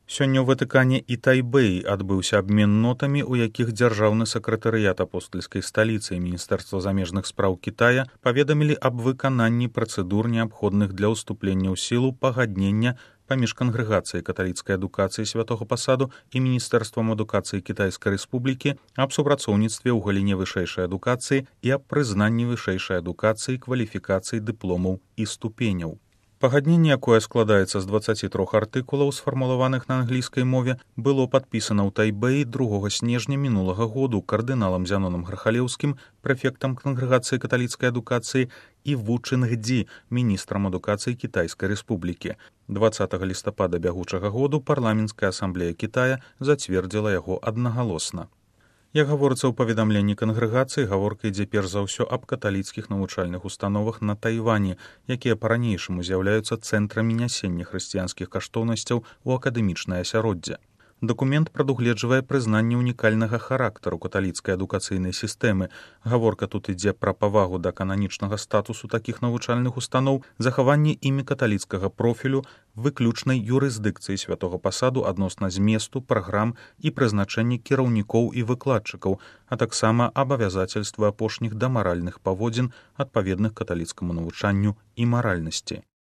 Сёння ў Ватыкане і Тайбэі адбыўся абмен нотамі, у якіх дзяржаўны сакратарыят апостальскай сталіцы і Міністэрства замежных спраў Кітая паведамілі аб выкананні працэдур, неабходных для ўступлення ў сілу пагаднення паміж кангрэгацыяй каталіцкай адукацыі святога пасаду і Міністэрствам адукацыі Кітайскай рэспублікі аб супрацоўніцтве ў галіне вышэйшай адукацыі і аб прызнанні вышэйшай адукацыі, кваліфікацый, дыпломаў і ступеняў. Пагадненне, якое складаецца з 23 артыкулаў, сфармулаваных на англійскай мове, было падпісана ў Тайбэі 2 снежня мінулага году кардыналам Зянонам Грахалеўскім, прэфектам кангрэгацыі каталіцкай адукацыі, і Ву Чынгдзі, міністрам адукацыі Кітайскай рэспублікі. 20 лістапада бягучага году парламенцкая асамблея Кітая зацвердзіла яго аднагалосна. Як гаворыцца ў паведамленні кангрэгацыі, гаворка ідзе перш за ўсё аб каталіцкіх навучальных установах на Тайвані, якія па-ранейшаму з'яўляюцца цэнтрамі нясення хрысціянскіх каштоўнасцяў у акадэмічнае асяроддзе. Дакумент прадугледжвае прызнанне ўнікальнага характару каталіцкай адукацыйнай сістэмы. Гаворка тут ідзе пра павагу да кананічнага статусу такіх навучальных устаноў, захаванне імі каталіцкага профілю, выключнай юрысдыкцыі святога пасаду адносна зместу, праграм і прызначэння кіраўнікоў і выкладчыкаў, а таксама абавязацельствы апошніх да маральных паводзін, адпаведных каталіцкаму навучанню і маральнасці.